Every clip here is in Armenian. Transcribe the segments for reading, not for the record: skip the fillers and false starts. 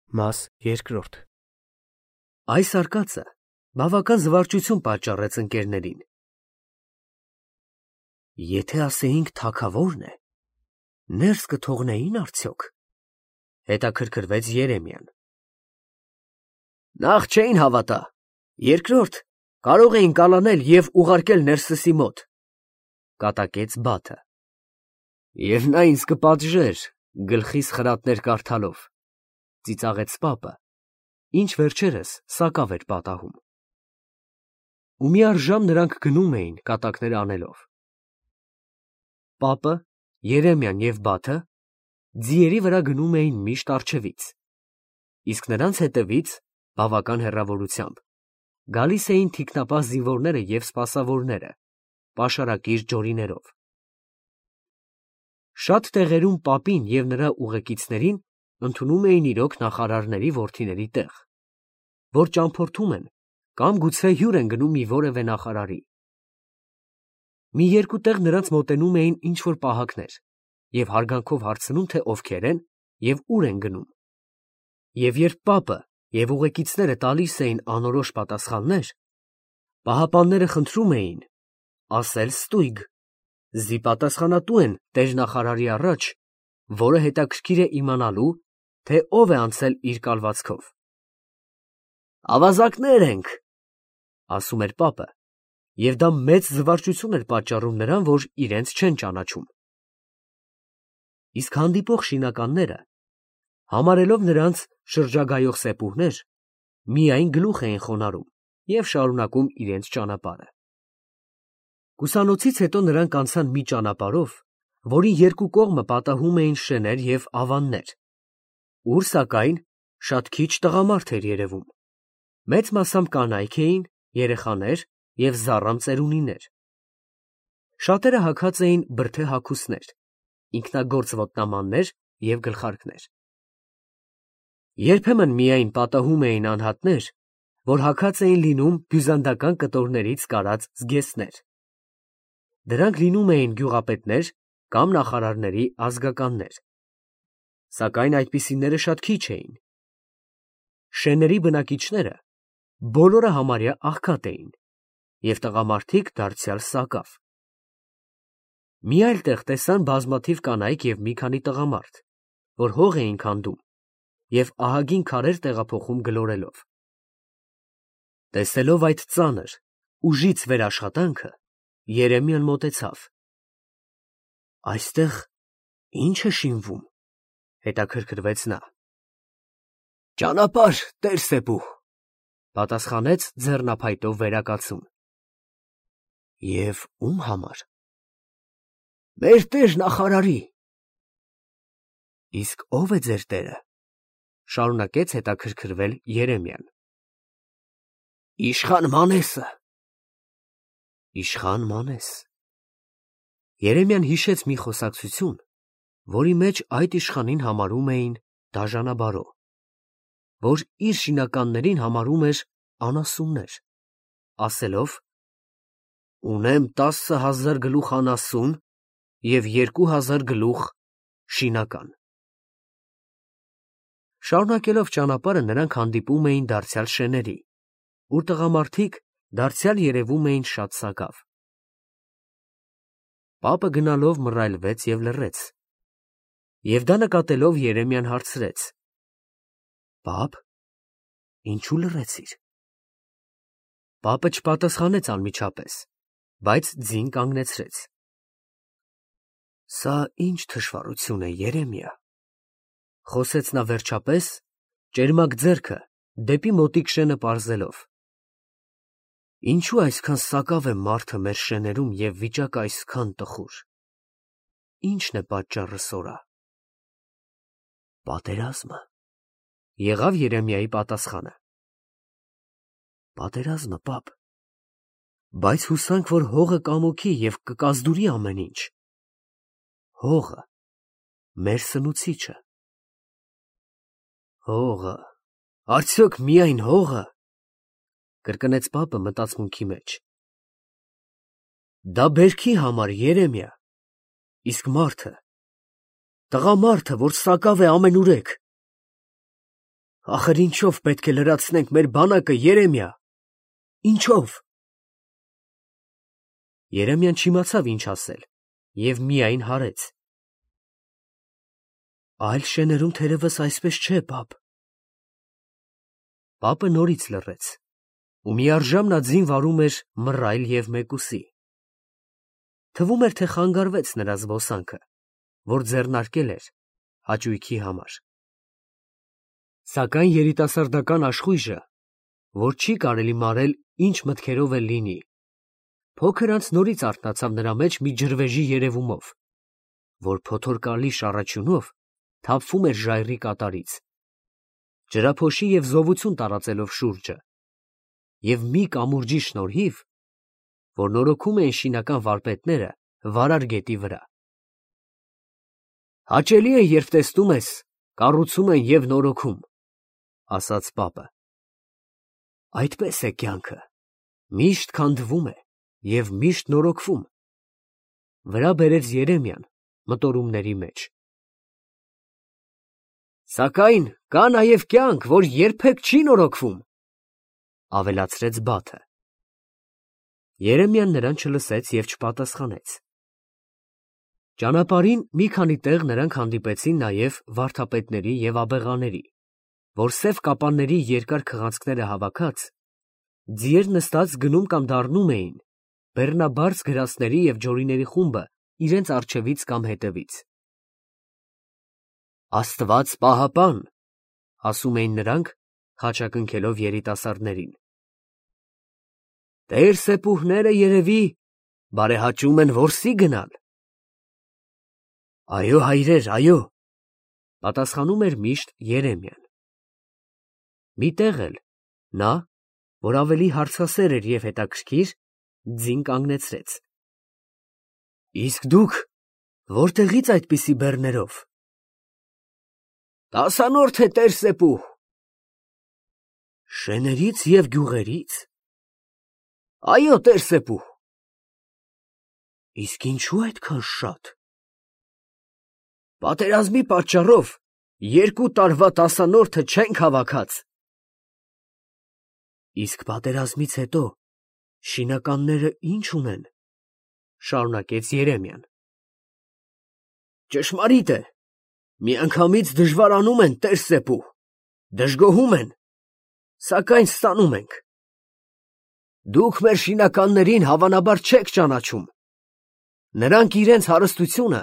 Մաս երկրորդ Այս արկածը բավական զվարճություն պատճառեց ընկերներին։ Եթե ասեինք թագավորն է, ներս կթողնեին արդյոք, հետաքրքրվեց Երեմիան։ Նախ չէին հավատա, երկրորդ կարող էին կալանել և ուղարկել ներսսի մոտ, կատակեց Բաթը։ Եվ նա ինձ կպատժեր գլխիս խրատներ կարդալով, ծիծաղեց պապը, ինչ վերջերս սակավ էր պատահում։ Ու մի առժամ նրանք գնում էին կատակներ անելով։ Պապը, Երեմիան և Բաթը ձիերի վրա գնում էին միշտ առջևից, իսկ նրանց հետևից, բավական հեռավորությամբ, գալիս էին թիկնապահ զինվորները և սպասավորները, պաշարակիր ջորիներով։ Շատ տեղերում պապին և նրա ուղեկիցներին ընդունում էին իրոք նախարարների որդիների տեղ, որ ճամփորդում են կամ գուցե հյուր են գնում մի որևէ նախարարի։ Մի երկու տեղ նրանց մոտենում էին ինչ-որ պահակներ և հարգանքով հարցնում, թե ովքեր են և ուր են գնում։ Եվ երբ պապը և ուղեկիցները տալիս էին անորոշ պատասխաններ, պահապանները խնդրում էին ասել ստույգ, զի պատասխանատու են տեր֊նախարարի առաջ, որը հետաքրքիր է իմանալու, թե ով է անցել իր կալվածքով։ Ավազակներ ենք, ասում էր պապը, և դա մեծ զվարճություն էր պատճառում նրան, որ իրենց չեն ճանաչում։ Իսկ հանդիպող շինականները, համարելով նրանց շրջագայող սեպուհներ, միայն գլուխ էին խոնարհում և շարունակում իրենց ճանապարհը։ Կուսանոցից հետո նրանք անցան մի ճանապարհով, որի երկու կողմը պատահում էին շեներ և ավաններ, ուր, սակայն, շատ քիչ տղամարդ էր երևում, մեծ մասամբ կանայք էին, երեխաներ և զառամ ծերունիներ։ Շատերը հագած էին բրդե հագուստներ, ինքնագործ ոտնամաններ և գլխարկներ։ Երբեմն միայն պատահում էին անհատներ, որ հագած էին լինում բյուզանդական կտորներից կարած զգեստներ։ Դրանք լինում էին գյուղապետներ կամ նախարարների ազգականներ, սակայն այդպիսիները շատ քիչ էին։ Շեների բնակիչները բոլորը համարյա աղքատ էին և տղամարդիկ դարձյալ սակավ։ Մի այլ տեղ տեսան բազմաթիվ կանայք և մի քանի տղամարդ, որ հող էին քանդում և ահագին քարեր տեղափոխում գլորելով։ Տեսելով այդ ծանր, ուժից վեր աշխատանքը, Երեմիան մոտեցավ։ Այստեղ ի՞նչ է շինվում, հետաքրքրվեց նա։ Ճանապարհ, տեր֊սեպուհ, պատասխանեց ձեռնափայտով վերակացուն։ Եվ ո՞ւմ համար։ Մեր տեր֊նախարարի։ Իսկ ո՞վ է ձեր տերը, շարունակեց հետաքրքրվել Երեմիան։ Իշխան Մանեսը։ Իշխան Մանես։ Երեմիան հիշեց մի խոսակցություն, որի մեջ այդ իշխանին համարում էին դաժանաբարո, որ իր շինականներին համարում էր անասուններ, ասելով. Ունեմ 10,000 գլուխ անասուն և 2,000 գլուխ շինական։ Շարունակելով ճանապարհը նրանք հանդիպում էին դարձյալ շեների, ուր տղամարդիկ դարձյալ երևում էին շատ սակավ։ Պապը գնալով մռայլվեց և լռեց, և դա նկատելով Երեմիան հարցրեց. Պապ, ինչու լռեցիր։ Պապը չպատասխանեց անմիջապես, բայց ձին կանգնեցրեց։ Սա ի՞նչ թշվառություն է, Երեմիա, խոսեց նա վերջապես, ճերմակ ձեռքը դեպի մոտիկ շենը պարզելով։ Ինչու այսքան սակավ է մարդը մեր շեներում և վիճակը այսքան տխուր։ Ի՞նչն է պատճառը, սորա։ Պատերազմը, եղավ Երեմիայի պատասխանը։ Պատերազմը, պապ, բայց հուսանք, որ հողը կամոքի և կկազդուրի ամեն ինչ։ Հողը մեր սնուցիչը։ Հողը, արդյոք միայն հողը, կրկնեց պապը մտածմունքի մեջ։ Դա բերքի համար, Երեմիա, իսկ մարդը, տղամարդը, որ սակավ է ամենուրեք։ Ախր ինչով պետք է լրացնենք մեր բանակը, Երեմիա, ինչով։ Երեմիան չիմացավ ինչ ասել և միայն հարեց. Այլ շեներում թերևս այսպես չէ, պապ։ Պապը նորից լռեց, ու միառժամ նա ձին վարում էր մռայլ և մեկուսի։ Թվում էր, թե խանգարվեց նրա զբոսանքը, որ ձեռնարկել էր հաճույքի համար։ Սակայն երիտասարդական աշխույժը, որ չի կարելի մարել, ինչ մտքերով էլ լինի, փոքր անց նորից արթնացավ նրա մեջ մի ջրվեժի երևումով, որ փոթորկալի շառաչյունով թափվում էր ժայռի կատարից, ջրափոշի և զովություն տարածելով շուրջը, և մի կամուրջի շնորհիվ, որ նորոգում էին շինական վարպետները վարար գետի վրա։ Հաճելի է, երբ տեսնում ես, կառուցում են և նորոգում, ասաց պապը։ Այդպես է կյանքը, միշտ քանդվում է և միշտ նորոգվում, վրա բերեց Երեմիան մտորումների մեջ։ Սակայն կա նաև կյանք, որ երբեք չի նորոգվում, ավելացրեց Բաթը։ Երեմիան նրան չլսեց և չպատասխանեց։ Ճանապարհին մի քանի տեղ նրանք հանդիպեցին նաև վարդապետների և աբեղաների, որ սև կապանների երկար քղանցքները հավաքած, ձիեր նստած գնում կամ դառնում էին բեռնաբարձ գրաստների և ջորիների խումբը իրենց առջևից կամ հետևից։ Աստված պահապան, ասում էին նրանք, խաչակնքելով երիտասարդներին։ Տեր սեպուհները երևի բարեհաճում են որսի գնալ։ Այո, հայրեր, այո, պատասխանում էր միշտ Երեմիան։ Մի տեղ էլ նա, որ ավելի հարցասեր էր և հետաքրքիր, ձին կանգնեցրեց։ Իսկ դուք որտեղի՞ց այդպիսի բեռներով։ Տասանորդ է, տեր սեպուհ։ Շեներից և գյուղերից։ Այո, տեր սեպուհ։ Իսկ ինչու այդքան շատ։ Պատերազմի պատճառով 2 տարվա տասանորդը չենք հավաքած։ Իսկ պատերազմից հետո շինականները ի՞նչ ունեն, շարունակեց Երեմիան։ Ճշմարիտ է, միանգամից դժվարանում են, տեր սեպուհ, դժգոհում են, սակայն ստանում ենք։ Դուք մեր շինականներին հավանաբար չեք ճանաչում։ Նրանք իրենց հարստությունը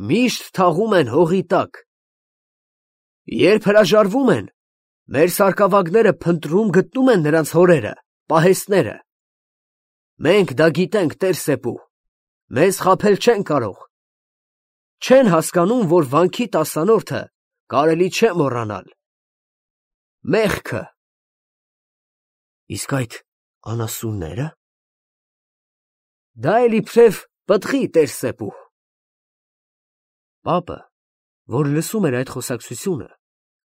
միշտ թաղում են հողի տակ։ Երբ հրաժարվում են, մեր սարկավագները փնտրում գտնում են նրանց հորերը, պահեստները։ Մենք դա գիտենք, տեր սեպուհ, մեզ խաբել չեն կարող։ Չեն հասկանում, որ վանքի տասանորդը կարելի չէ մոռանալ։ Մեղքը։ Իսկ այդ անասուննե՞րը։ Դա էլ իբրև պտղի, տեր սեպուհ։ Պապը, որ լսում էր այդ խոսակցությունը,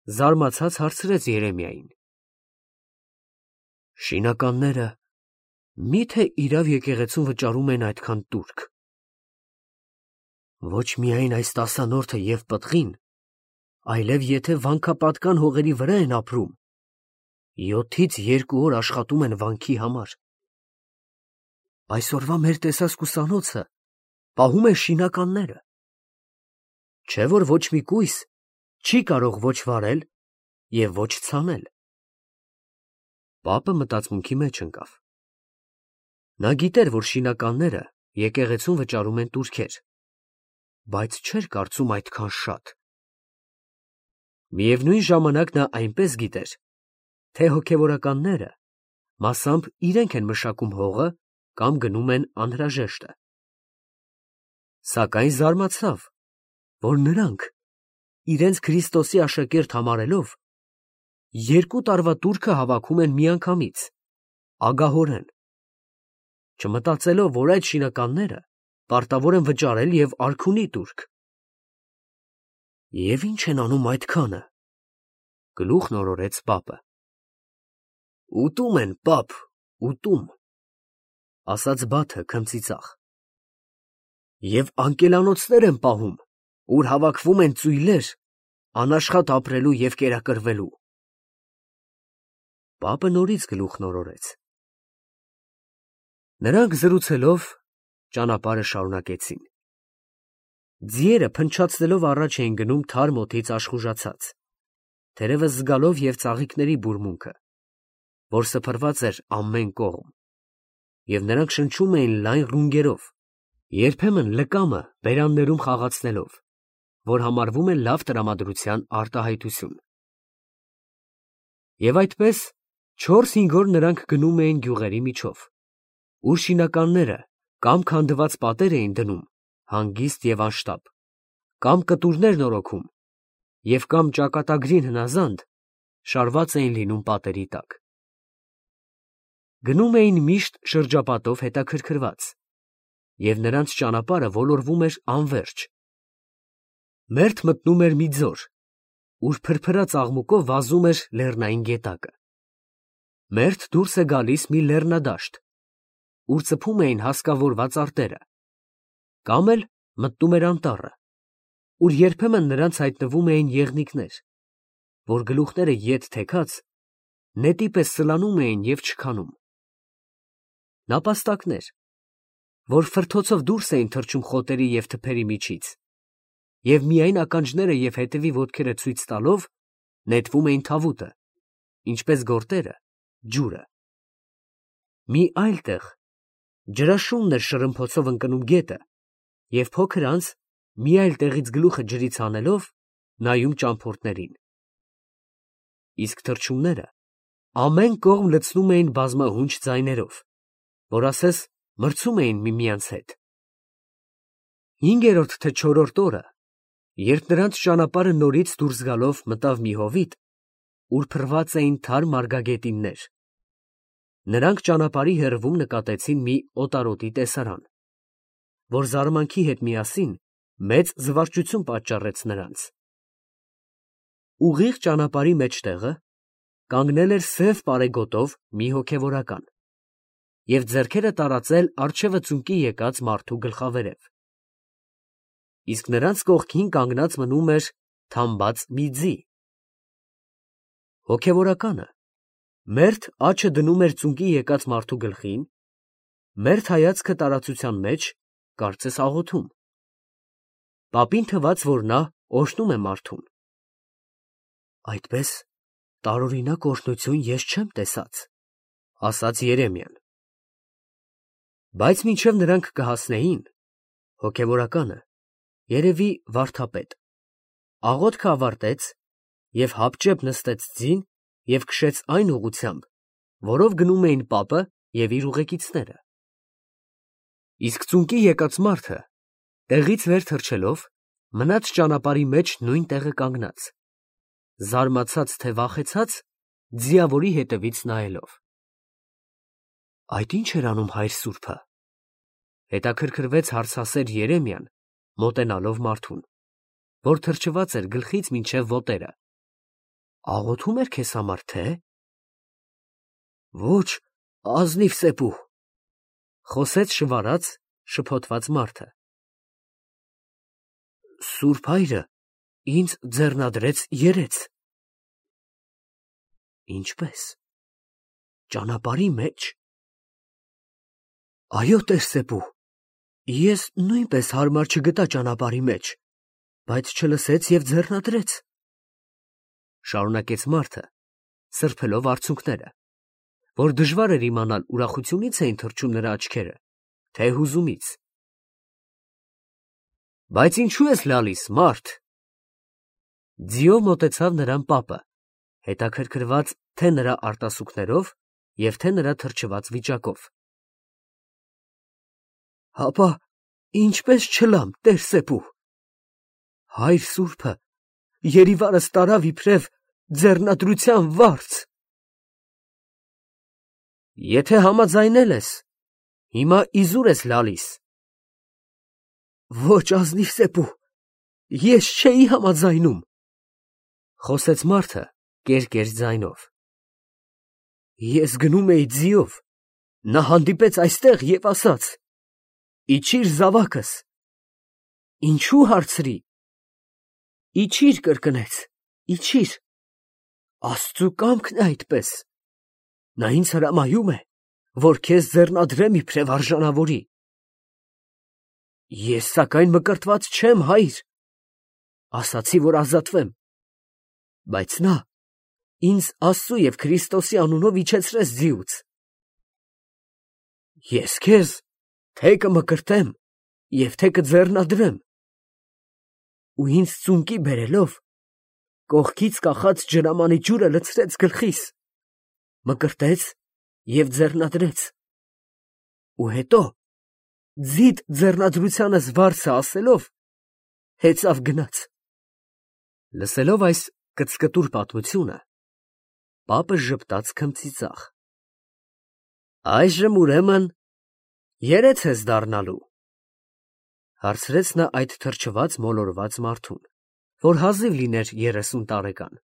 զարմացած հարցրեց Երեմիային. Շինականները մի՞թե իրավ եկեղեցուն վճարում են այդքան տուրք։ Ոչ միայն այս տասանորդը և պտղին, այլև եթե վանքապատկան հողերի վրա են ապրում, 7-ից 2 օր աշխատում են վանքի համար։ Այսօրվա մեր տեսասկուսանոցը պահում է շինականները։ Չէ՞ որ ոչ մի կույս չի կարող ոչ վարել և ոչ ցանել։ Պապը մտածմունքի մեջ ընկավ։ Նա գիտեր, որ շինականները եկեղեցուն վճարում են տուրքեր, բայց չէր կարծում այդքան շատ։ Միևնույն ժամանակ նա այնպես գիտեր, թե հոգևորականները մասամբ իրենք են մշակում հողը կամ գնում են անհրաժեշտը։ Սակայն զարմացավ, որ նրանք, իրենց Քրիստոսի աշակերտ համարելով, 2 տարվա տուրքը հավաքում են միանգամից, ագահորեն, չմտածելով, որ այդ շինականները պարտավոր են վճարել և արքունի տուրք։ Եվ ի՞նչ են անում այդքանը, գլուխն օրորեց պապը։ Ուտում են, պապ, ուտում, ասաց Բաթը քմծիծաղ։ Եվ անկելանոցներ են պահում, ուր հավաքվում են ծույլեր, անաշխատ ապրելու և կերակրվելու։ Պապը նորից գլուխն օրորեց։ Նրանք զրուցելով ճանապարհը շարունակեցին։ Ձիերը փնչացնելով առաջ էին գնում թարմ օդից աշխուժացած, թերևս զգալով և ծաղիկների բուրմունքը, որ սփռված էր ամեն կողմ, և նրանք շնչում էին լայն ռունգերով, երբեմն լկամը բերաններում խաղացնելով, որ համարվում է լավ տրամադրության արտահայտություն։ Եվ այդպես 4-5 օր նրանք գնում էին գյուղերի միջով, ուր շինականները կամ քանդված պատեր էին դնում հանգիստ և անշտապ, կամ կտուրներ նորոգում, և կամ ճակատագրին հնազանդ շարված էին լինում պատերի տակ։ Գնում էին միշտ շրջապատով հետաքրքրված, և նրանց ճանապարհը ոլորվում էր անվերջ։ Մերթ մտնում էր մի ձոր, ուր փրփրած աղմուկով վազում էր լեռնային գետակը։ Մերթ դուրս է գալիս մի լեռնադաշտ, ուր ծփում էին հասկավորված արտերը, կամ էլ մտնում էր անտառը, ուր երբեմն նրանց հայտնվում էին եղնիկներ, որ գլուխները ետ թեքած, նետի պես սլանում էին և չքանում։ Նապաստակներ, որ ֆրթոցով դուրս էին թռչում խոտերի և թփերի միջից, և միայն ականջները և հետևի ոտքերը ցույց տալով նետվում էին թավուտը, ինչպես գորտերը ջուրը։ Մի այլ տեղ ջրաշունն էր շրմփոցով ընկնում գետը, և փոքր անց մի այլ տեղից գլուխը ջրից հանելով նայում ճամփորդներին։ Իսկ թռչունները ամեն կողմ լցնում էին բազմահունչ ձայներով, որ ասես մրցում էին միմյանց հետ։ 5-րդ թե 4-րդ օրը, երբ նրանց ճանապարհը նորից դուրս գալով մտավ մի հովիտ, ուր փռված էին թարմ մարգագետիններ, նրանք ճանապարհի հեռվում նկատեցին մի օտարոտի տեսարան, որ զարմանքի հետ միասին մեծ զվարճություն պատճառեց նրանց։ Ուղիղ ճանապարհի մեջտեղը կանգնել էր սև պարեգոտով մի հոգևորական և ձեռքերը տարածել առջևը ծունկի եկած մարդու գլխավերև, իսկ նրանց կողքին կանգնած մնում էր թամբած մի ձի։ Հոգևորականը մերթ աջը դնում էր ծունկի եկած մարդու գլխին, մերթ հայացքը տարածության մեջ, կարծես աղոթում։ Պապին թվաց, որ նա օրհնում է մարդուն։ «Այդպես տարօրինակ օրհնություն ես չեմ տեսած», ֊ ասաց Երեմիան։ Բայց մինչև նրանք կհասնեին, հոգևորականը, երևի վարդապետ, աղոթքը ավարտեց և հապճեպ նստեց ձին և քշեց այն ուղղությամբ, որով գնում էին պապը և իր ուղեկիցները։ Իսկ ծունկի եկած մարդը, տեղից վեր թռչելով, մնաց ճանապարհի մեջ նույն տեղը կանգնած, զարմացած թե վախեցած, ձիավորի հետևից նայելով։ «Այդ ի՞նչ էր անում հայր սուրբը», ֊ հետաքրքրվեց հարցասեր Երեմիան, մոտենալով մարդուն, որ թրջված էր գլխից մինչև ոտները։ «Աղոթում էր քեզ համար, թե՞»։ «Ոչ, ազնիվ սեպու», ֊ խոսեց շվարած, շփոթված մարդը։ «Սուրբ հայրը ինձ ձեռնադրեց երեց»։ «Ինչպե՞ս, ճանապարհի մեջ»։ «Այո, տեր֊սեպու, ես նույնպես հարմար չգտա ճանապարհի մեջ, բայց չլսեց և ձեռնադրեց», ֊ շարունակեց մարդը, սրբելով արցունքները, որ դժվար էր իմանալ ուրախությունի՞ց էին թռչում նրա աչքերը, թե հուզումից։ «Բայց ինչո՞ւ ես լալիս, մարդ»։ Ձիով մոտեցավ նրան պապը, հետաքրքրված թե նրա արտասուքներով և թե նրա թրջված վիճակով։ «Հապա ինչպես չլամ, տեր֊սեպու, հայր սուրբը երիվարս տարավ իբրև ձեռնադրության վարձ»։ «Եթե համաձայնել ես, հիմա իզուր ես լալիս»։ «Ոչ, ազնիվ սեպու, ես չէի համաձայնում», ֊ խոսեց մարդը կեր ձայնով։ «Ես գնում էի ձիով, նա հանդիպեց այստեղ և ասաց. «Իջիր զավակս»։ Ինչո՞ւ հարցրի։ «Իջիր», կրկնեց, «իջիր»։ Աստծու կամքն է այդպես։ Նա ինձ հրամայում է, որ քեզ ձեռնադրեմ իբրև արժանավորի։ Ես սակայն մկրտված չեմ, հայր, ասացի, որ ազատվեմ, բայց նա ինձ Աստծու և Քրիստոսի անունով իջեցրեց ձիուց։ Ես քեզ թե կմկրտեմ և թե կձեռնադրեմ։ Ու ինձ ծունկի բերելով, կողքից կախած ջրամանի ջուրը լցրեց գլխիս, մկրտեց և ձեռնադրեց։ Ու հետո, ձիդ ձեռնադրությանս վարձը ասելով, հեծավ գնաց։ Լսելով այս կծկտուր պատմությունը, պապը ժպտաց քմծիծաղ։ Այժմ ուրեմն երես ես դառնալու, հարցրեց նա այդ թրջված մոլորված մարդուն, որ հազիվ լիներ 30 տարեկան։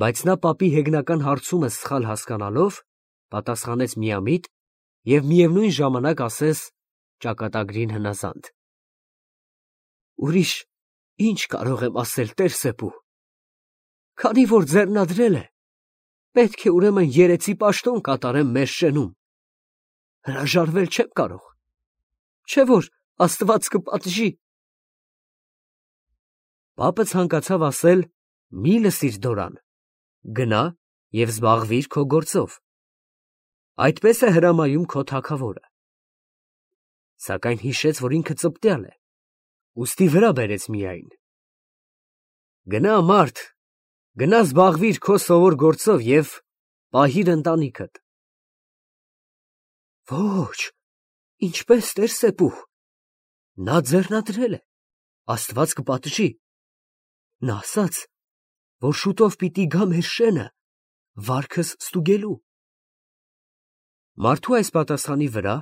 Բայց նա պապի հեգնական հարցումը սխալ հասկանալով, պատասխանեց միամիտ և միևնույն ժամանակ ասես ճակատագրին հնազանդ. Ուրիշ ինչ կարող եմ ասել, տեր֊Սեբու, քանի որ ձեռնադրել է, պետք է ուրեմն երեցի պաշտոն կատարեմ մեր շենում, հրաժարվել չեմ կարող, չէ՞ որ Աստված կպատժի։ Պապը ցանկացավ ասել. մի լսիր դորան, գնա և զբաղվիր քո գործով, այդպես է հրամայում քո թագավորը։ Սակայն հիշեց, որ ինքը ծպտյալ է, ուստի վրա բերեց միայն. Գնա, մարդ, գնա զբաղվիր քո սովոր գործով և պահիր ընտանիքդ։ Ոչ, ինչպես, տեր֊Սեբու, նա ձեռնադրել է, Աստված կպատժի։ Նա ասաց, որ շուտով պիտի գա մեր շենը վարքս ստուգելու։ Մարդու այս պատասխանի վրա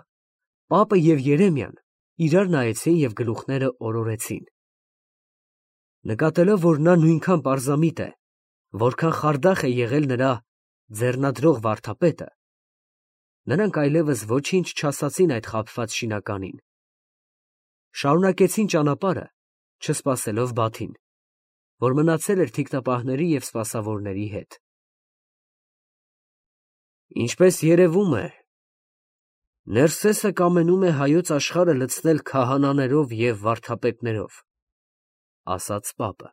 պապը և Երեմիան իրար նայեցին և գլուխները օրորեցին։ Նկատելով, որ նա նույնքան պարզամիտ է, որքան խարդախ է եղել նրա ձեռնադրող վարդապետը, նրանք այլևս ոչինչ չասացին այդ խաբված շինականին։ Շարունակեցին ճանապարհը, չսպասելով Բաթին, որ մնացել էր թիկնապահների և սպասավորների հետ։ Ինչպես երևում է, Ներսեսը կամենում է հայոց աշխարհը լցնել քահանաներով և վարդապետներով, ասաց պապը։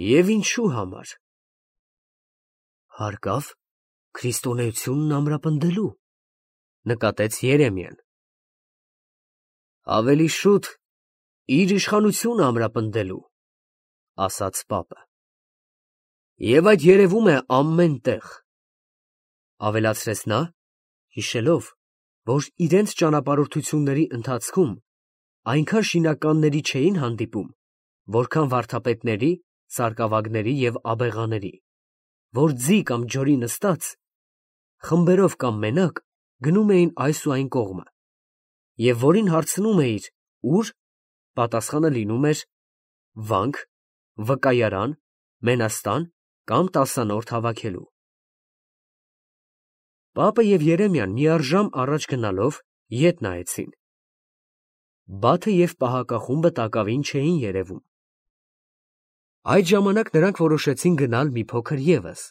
Եվ ինչու համար։ Հարկավ քրիստոնեությունն ամրապնդելու, նկատեց Երեմիան։ Ավելի շուտ իր իշխանությունը ամրապնդելու, ասաց պապը։ Եվ այդ երևում է ամեն տեղ, ավելացրեց նա, հիշելով, որ իրենց ճանապարհորդությունների ընթացքում այնքան շինականների չէին հանդիպում, որքան վարդապետների, սարկավագների և աբեղաների, որ ձի կամ ջորի նստած, խմբերով կամ մենակ գնում էին այս ու այն կողմը, և որին հարցնում էիր ուր, պատասխանը լինում էր վանք, վկայարան, մենաստան կամ տասանորդ հավաքելու։ Պապը և Երեմիան միառժամ առաջ գնալով ետ նայեցին։ Բաթը և պահակախումբը տակավին չէին երևում։ Այդ ժամանակ նրանք որոշեցին գնալ մի փոքր ևս,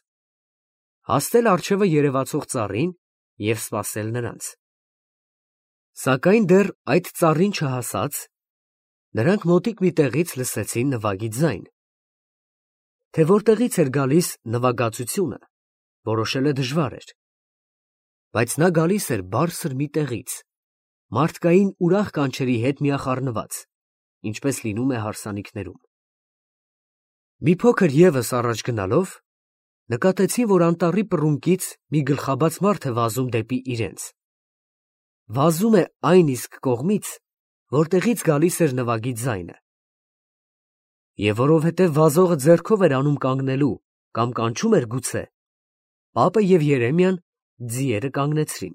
հասնել առջևը երևացող ծառին և սպասել նրանց։ Սակայն դեռ այդ ծառին չհասած, նրանք մոտիկ մի տեղից լսեցին նվագի ձայն։ Թե որտեղից էր գալիս նվագածությունը, որոշելը դժվար էր, բայց նա գալիս էր բարձր մի տեղից, մարդկային ուրախ կանչերի հետ միախառնված, ինչպես լինում է հարսանիքներում։ Մի փոքր ևս առաջ գնալով, նկատեցին, որ անտառի պռունգից մի գլխաբաց մարդ է վազում դեպի իրենց։ Վազում է այն իսկ կողմից, որտեղից գալիս էր նվագի ձայնը։ Եվ որովհետև վազողը ձեռքով էր անում կանգնելու կամ կանչում էր գուցե, պապը և Երեմիան ձիերը կանգնեցրին։